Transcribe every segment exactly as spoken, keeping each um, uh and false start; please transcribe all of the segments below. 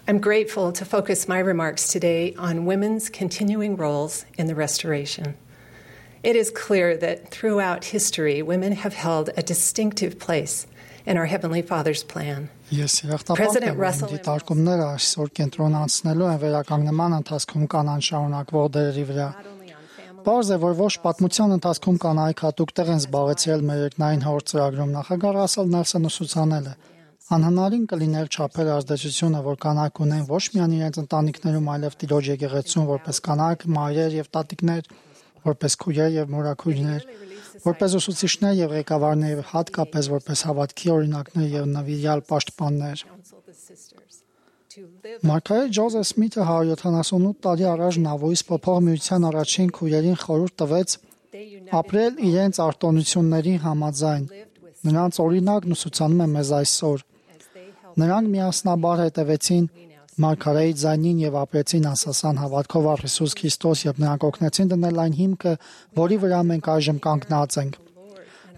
I'm grateful to focus my remarks today on women's continuing roles in the restoration. It is clear that throughout history, women have held a distinctive place in our Heavenly Father's plan. Ես երախտապարտ եմ, որ դիտարկումները այսօր կենտրոնացնելու են վերականգնման ընթացքում կանանց շարունակվող դերերի վրա։ Պարզ է, որ ոչ պատմության ընթացքում կանայք հատուկ տեղ են զբաղեցրել մեր երկնային հոր ծրագրում, նախագահ Ռասել Նելսոնը ուսուցանել է։ Անհնարին կլիներ չափել ազդեցությունը, որ կանայք ունեն ոչ միայն իրենց ընտանիքներում, այլև Տիրոջ եկեղեցում, որպես կանայք, մայրեր եւ տատիկներ, որպես քույրեր եւ մորաքույրներ, որպես ուսուցիչներ եւ ղեկավարներ, հատկապես որպես հավատքի օրինակներ եւ նվիրյալ պաշտպաններ։ Մարգարետ Ջոզեֆ Սմիթը հարյուր յոթանասունութ տարի առաջ Նավոյից փոփոխ միության առաջին քույրերին խորհուրդ տվեց ապրել իրենց արտոնությունների համաձայն։ Նրանց օրինակն ուսուցանում է մեզ այսօր։ Նրանք միասնաբար հետևեցին Մարգարեի ձայնին եւ ապրեցին անսասան հավատքով առ Հիսուս Քրիստոս եւ նրանք օգնեցին դնել այն հիմքը, որի վրա մենք այժմ կանգնած ենք։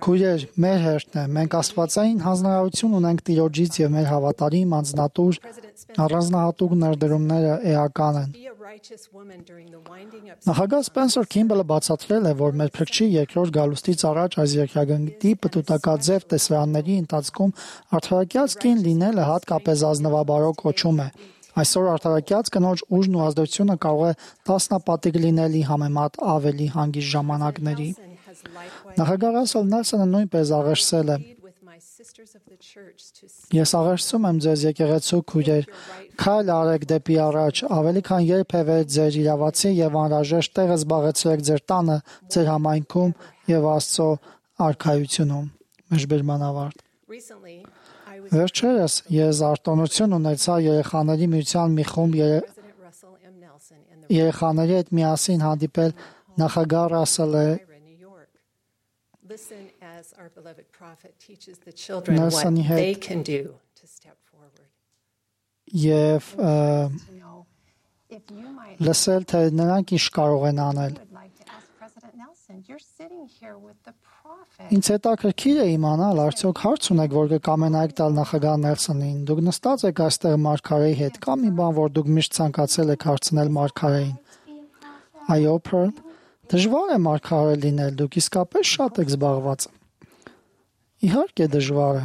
Քույրեր, մեր հերթն է, մենք աստվածային հանձնարարություն ունենք Տիրոջից եւ մեր հավատարիմ անձնատուր առանձնահատուկ ներդրումները էական են։ Նախագահ Սպենսեր Քիմբելը բացատրել է, որ մեր փրկչի երկրորդ գալուստից առաջ այս երկրագնդի պտուտակաձև տեսարանների ընթացքում արդարակյաց կին լինելը հատկապես ազնվաբարո կոչում է։ Այսօր արդարակյաց կնոջ ուժն ու ազդեցությունը կարող է տասնապատիկ լինել համեմատ ավելի հանգիստ ժամանակների։ Նախագահ Ռասել Նելսոնը նույնպես աղերսել է. Ես աղերսում եմ ձեզ եկեղեցու քույրեր, քայլ արեք դեպի առաջ, ավելի քան երբևէ ձեր իրավացի եւ անհրաժեշտ տեղը զբաղեցրեք ձեր տանը, ձեր համայնքում եւ Աստծո արքայությունում։ Մեջբերման ավարտ։ Վերջերս ես արտոնություն ունեցա երեխաների միության մի խումբ երեխաների հետ միասին հանդիպել նախագահ Ռասելը Նելսոնի հետ եւ լսել, թե նրանք ինչ կարող են անել։ Ինձ հետաքրքիր է իմանալ, արդյոք հարց ունեք, որ կկամենայիք տալ նախագահ Նելսոնին։ Դուք նստած եք այստեղ Մարգարեի հետ, կամ մի բան, որ դուք միշտ ցանկացել եք հարցնել Մարգարեին։ Այո, Փըրլ, դժվար է Մարգարե լինել, դուք իսկապես շատ եք զբաղված։ Իհարկե դժվար է։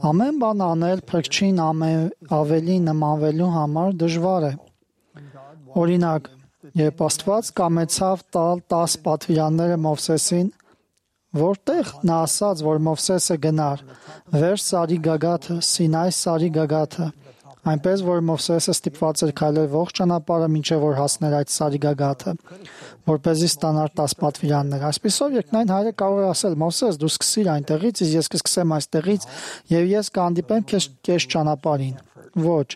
Ամեն բան անել փրկչին ավելի նմանվելու համար դժվար է։ Օրինակ, երբ Աստված կամեցավ տալ տաս պատվիրանները Մովսեսին, որտեղ նա ասաց, որ Մովսեսը գնար վերջ սարի գագաթը, Սինայի սարի գագաթը, այնպես որ Մովսեսը ստիպված էր քայլել ողջ ճանապարհը մինչև որ հասներ այդ սարի գագաթը, որպեսզի ստանար տաս պատվիրաններ։ Այսպիսով երկնային Հայրը կարող է ասել. Մովսես, դու սկսիր այնտեղից, իսկ ես կսկսեմ այստեղից, եւ ես կհանդիպեմ քեզ կես ճանապարհին։ Ոչ,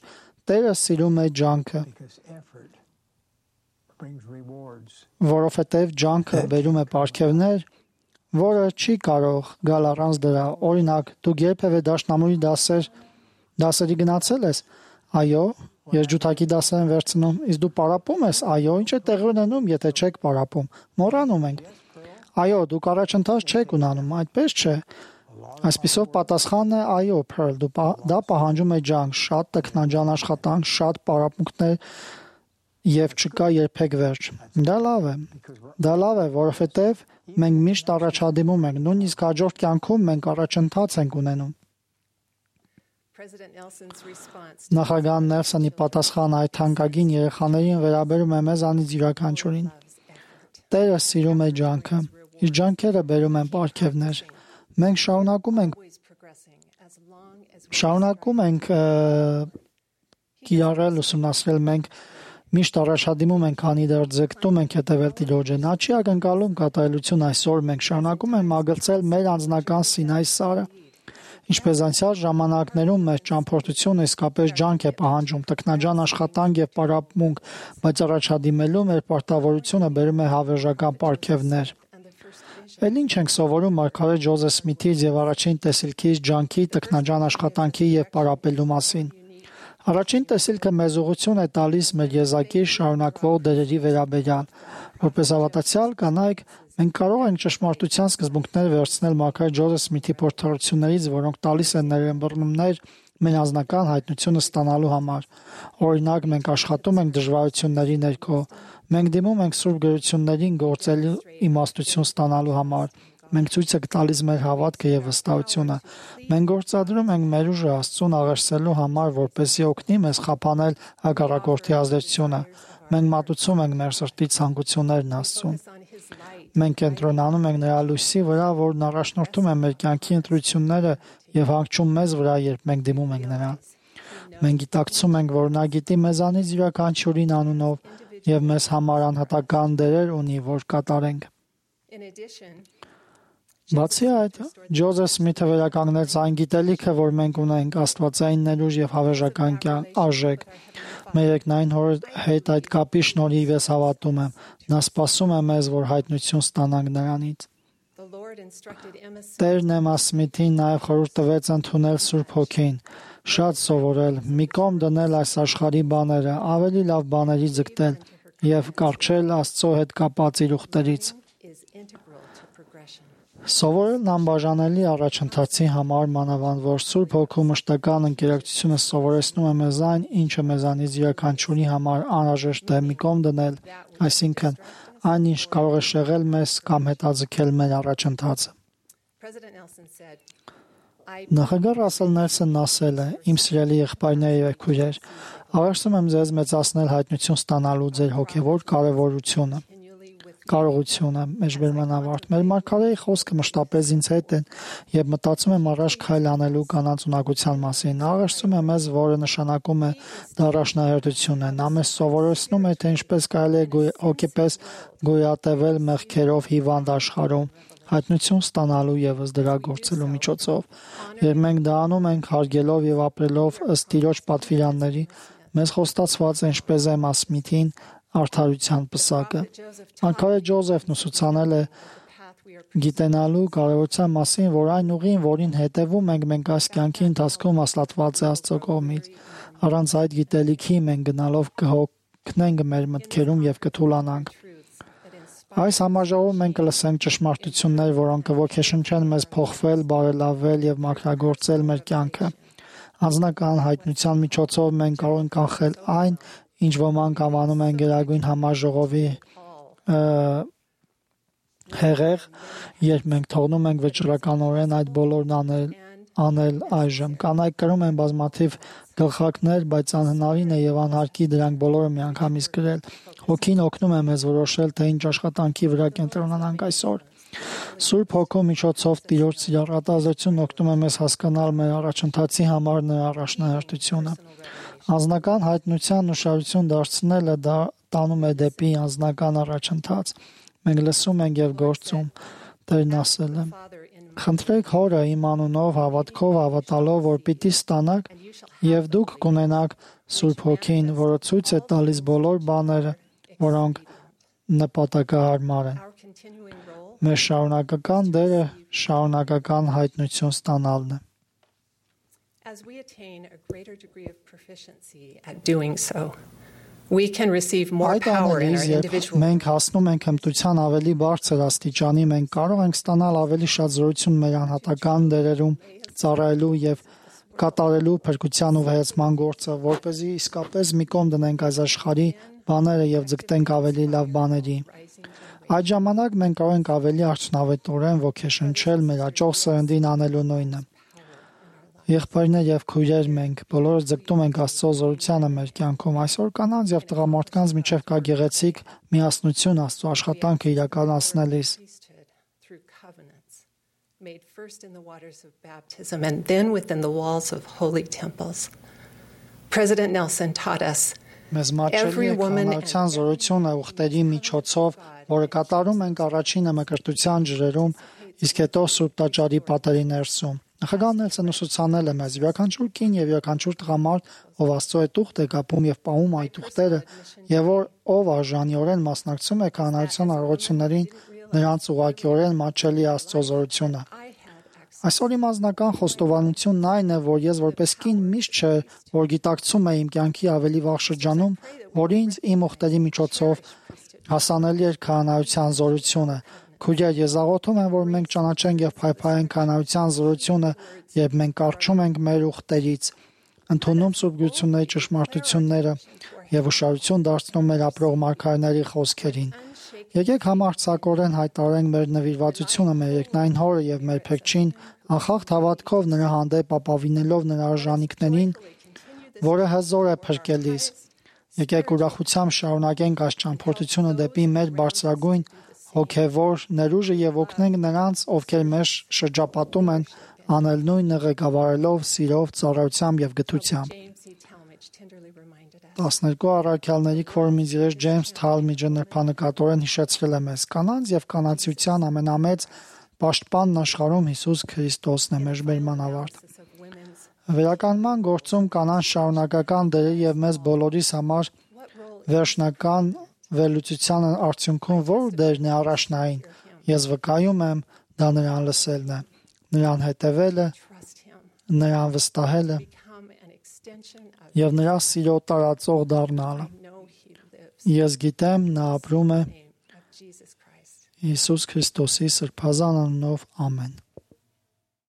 Տերը սիրում է ջանքը, որովհետև ջանքը բերում է պարգևներ, որը չի կարող գալ առանց դրա։ Օրինակ, դուք երբևէ դաշնամուրի դասեր դասերի գնացել ես։ Այո, երջութակի դասեր են վերցնում, իսկ դու պարապում ես։ Այո, ինչ է տեղի ունենում, եթե չեք պարապում։ Մոռանում ենք։ Այո, դուք առաջընթաց չեք ունենում, այդպես չէ։ Այսպիսով պատասխանն է այո, Փըրլ, դու դա պահանջում է ջանք, շատ տքնաջան աշխատանք, շատ պարապմունքներ եւ չկա երբեք վերջ։ Դա լավ է։ Դա լավ է, որովհետեւ մենք միշտ առաջադիմում ենք, նույնիսկ հաջորդ կյանքում մենք առաջընթաց ենք ունենում։ Նախագահ Նելսոնի պատասխանը այդ թանկագին երեխաներին վերաբերում է մեզանից յուրաքանչյուրին։ Տերը սիրում է ջանքը, իր ջանքերը բերում են պարգևներ։ Մենք շարունակում ենք շարունակում ենք կիրառել, ուսումնասիրել, մենք միշտ առաջադիմում ենք, քանի դեռ ձգտում ենք հետևել Տիրոջը։ Նա չի ակնկալում կատարելություն այսօր, մենք շարունակում ենք մագլցել մեր անձնական Սինայի սարը։ Ինչպես անցյալ ժամանակներում մեր ճամփորդությունը իսկապես ջանք է պահանջում, տքնաջան աշխատանք եւ պարապմունք, բայց առաջադիմելու մեր պարտավորությունը բերում է հավերժական պարգևներ։ Էլ ինչ ենք սովորում Մարգարետ Ջոզեֆ Սմիթից եւ առաջին տեսիլքից ջանքի, տքնաջան աշխատանքի եւ պարապելու մասին։ Առաջին տեսիլքը մեզ ուղղություն է տալիս մեր եզակի շարունակվող դերերի վերաբերյալ։ Որպես հավատացյալ կանայք, մենք կարող ենք ճշմարտության սկզբունքներ վերցնել Մարգարետ Ջոզեֆ Սմիթի փորձառություններից, որոնք տալիս են ներըմբռնումներ մեր անձնական հայտնությունը ստանալու համար։ Օրինակ, մենք աշխատում ենք դժվարությունների ներքո, մենք դիմում ենք սուրբ գրություններին գործելու իմաստություն ստանալու համար, մենք ցույց ենք տալիս մեր հավատքը եւ վստահությունը, մենք գործադրում ենք մեր ուժը Աստծուն աղերսելու համար, որպեսզի օգնի մեզ խափանել հակառակորդի ազդեցությունը, մենք մատուցում ենք մեր սրտի ցանկություններն Աստծուն։ Մենք կենտրոնանում ենք նրա լույսի վրա, որն առաջնորդում է մեր կյանքի ընտրությունները եւ հանգչում մեզ վրա, երբ մենք դիմում ենք նրան։ Մենք գիտակցում ենք, որ նա գիտի մեզանից յուրաքանչյուրին անունով եւ մեզ համար անհատական դերեր ունի, որ կատարենք։ Բացի այդ, Ջոզեֆ Սմիթը վերականգնեց այն գիտելիքը, որ մենք ունենք աստվածային ներուժ եւ հավերժական արժեք։ Մեր երկնային Հոր հետ այդ կապի շնորհիվ ես հավատում եմ։ Նա սպասում է մեզ, որ հայտնություն ստանանք նրանից։ Տերն Էմմա Սմիթին նաև խորհուրդ տվեց ընդունել Սուրբ Հոգին, շատ սովորել, մի կողմ դնել այս աշխարհի բաները, ավելի լավ բաների ձգտել եւ կառչել Աստծո հետ կապած իր ուխտերից։ Սովորելն անբաժանելի առաջընթացի համար, մանավանդ որ Սուրբ Հոգու մշտական ընկերակցությունը սովորեցնում է մեզ այն, ինչը մեզանից յուրաքանչյուրի համար անհրաժեշտ է մի կողմ դնել, այսինքն այն, ինչ կարող է շեղել մեզ կամ հետաձգել մեր առաջընթացը։ Նախագահ Ռասել Նելսոնն ասել է. «Իմ սիրելի եղբայրներ եւ քույրեր, աղերսում եմ ձեզ մեծացնել հայտնություն ստանալու ձեր հոգեվոր կարևորությունը։ Կարողությունը, մեջբերման ավարտ։ Մեր մարգարեի խոսքը մշտապես ինձ հետ են եւ մտածում եմ առաջ քայլ անելու կանանց ունակության մասին։ Նա աղերսում է մեզ, որը նշանակում է դառաշնահերթություն է։ Նա մեզ սովորեցնում է, թե ինչպես կարելի է հոգեպես գոյատևել մեղքերով հիվանդ աշխարհում, հայտնություն ստանալու եւս դրա գործելու միջոցով։ Երբ մենք դա անում ենք հարգելով եւ ապրելով ըստ Տիրոջ պատվիրանների, մեզ խոստացված է, ինչպես Էմմա Սմիթին, արդարության պսակը։ Մարգարե Ջոզեֆն ուսուցանել է գիտենալու կարևորության մասին, որ այն ուղին, որին հետևում ենք, մենք այս կյանքի ընթացքում հաստատված է Աստծո կողմից։ Առանց այդ գիտելիքի մենք գնալով կհոգնենք մեր մտքերում եւ կթուլանանք։ Այս համաժողովում մենք կլսենք ճշմարտություններ, որոնք կոգեշնչեն մեզ փոխվել, բարելավել եւ մաքրագործել մեր կյանքը։ Անձնական հայտնության միջոցով մենք կարող ենք կանխել այն, ինչ ոմանք անվանում են գերագույն համաժողովի հեղեղ, երբ մենք թողնում ենք վճռականորեն այդ բոլորն անել, անել այժմ։ Կանայք կրում են բազմաթիվ գլխարկներ, բայց անհնարին է եւ անհարկի դրանք բոլորը միանգամից կրել։ Հոգին օգնում է մեզ որոշել, թե ինչ աշխատանքի վրա կենտրոնանանք այսօր։ Սուրբ Հոգու միջոցով Տիրոջ սիրառատազությունն օգնում է մեզ հասկանալ մեր առաջընթացի համար նրա առաջնահերթությունը։ Անձնական հայտնության ուշադրություն դարձնելը դա տանում է դեպի անձնական առաջընթաց։ Մենք լսում ենք եւ գործում։ Տերն ասել է. «Խնդրեք Հորը իմ անունով հավատքով հավատալով, որ պիտի ստանաք, եւ դուք կունենաք Սուրբ Հոգին, որը ցույց է տալիս բոլոր բաները, որոնք նպատակահարմար են»։ Մեր շարունակական դերը շարունակական հայտնություն ստանալն է։ As we attain a greater degree of proficiency at doing so, we can receive more power in our individual. Մենք հասնում ենք հմտության ավելի բարձր աստիճանի, մենք կարող ենք ստանալ ավելի շատ զորություն մեր անհատական դերերում ծառայելու եւ կատարելու փրկության ու վայեցման գործը, որպեսզի իսկապես մի կողմ դնենք այս աշխարհի բաները եւ ձգտենք ավելի լավ բաների։ Այդ ժամանակ մենք կարող ենք ավելի արդյունավետորեն ոգեշնչել մեր աճող սերնդին անելու նույնը։ Եղբայրներ եւ քույրեր, մենք բոլորս ձգտում ենք Աստծո զորությանը մեր կյանքում։ Այսօր կանանց եւ տղամարդկանց միջև կա գեղեցիկ միասնություն Աստծո աշխատանքը իրականացնելիս։ Made first in the waters of baptism and then within the walls of holy temples. President Nelson taught us Մեզ մաչելի է կանանության զորությունը ուխտերի միջոցով, որը կատարում ենք առաջինը մկրտության ջրերում, իսկ հետո Սուրբ Տաճարի պատերի ներսում։ Նախագահ Նելսոնը ուսուցանել է մեզ յուրաքանչյուր կին եւ յուրաքանչյուր տղամարդ, ով Աստծո հետ ուխտ է կապում եւ պահում այդ ուխտերը, եւ որ ով արժանիորեն մասնակցում է կանանության առողջություններին, նրանց ուղղակիորեն մաչելի է Աստծո զորությունը։ Այսօր իմ անձնական խոստովանությունն այն է, որ ես որպես կին միշտ չէ, որ գիտակցում եմ իմ կյանքի ավելի վաղ շրջանում, որ ինձ իմ ուխտերի միջոցով հասանելի էր քահանայության զորությունը։ Քույրեր, ես աղոթում եմ, որ մենք ճանաչենք եւ փայփայենք քահանայության զորությունը, երբ մենք կարճում ենք մեր ուխտերից։ ընդունում սուրբգությունների ճշմարտությունները եւ ուշադրություն դարձնում մեր ապրող մարգարեների խոսքերին։ Եկեք համարձակորեն հայտարարենք մեր նվիրվածությունը մեր երկնային Հորը եւ մեր Փեքչին, անխախտ հավատքով նրա հանդեպ ապավինելով նրա արժանինքներին, որը հզոր է փրկելիս։ Եկեք ուրախությամբ շարունակենք այս ճամփորդությունը դեպի մեր բարձրագույն հոգևոր ներուժը եւ օգնենք նրանց, ովքեր մեզ շրջապատում են, անել նույնը ղեկավարելով սիրով, ծառայությամբ եւ գթությամբ։ տասներկու առաքյալների քվորումից երես Ջեյմս Թալմիջը նրբանկատորեն հիշեցրել է մեզ. կանանց եւ կանացիության ամենամեծ պաշտպանն աշխարհում Հիսուս Քրիստոսն է, մեր բերման ավարտ։ Վերականգնման գործում կանանց շարունակական դերը եւ մեզ բոլորիս համար վերջնական վերլուծության արդյունքում որ դերն է առաջնային, ես վկայում եմ, դա նրան լսելն է, նրան հետևելը, նրան վստահելը եւ նրա սիրո տարածող դառնալը։ Ես գիտեմ, նա ապրում է Հիսուս Քրիստոսի սրբազան անունով, ամեն։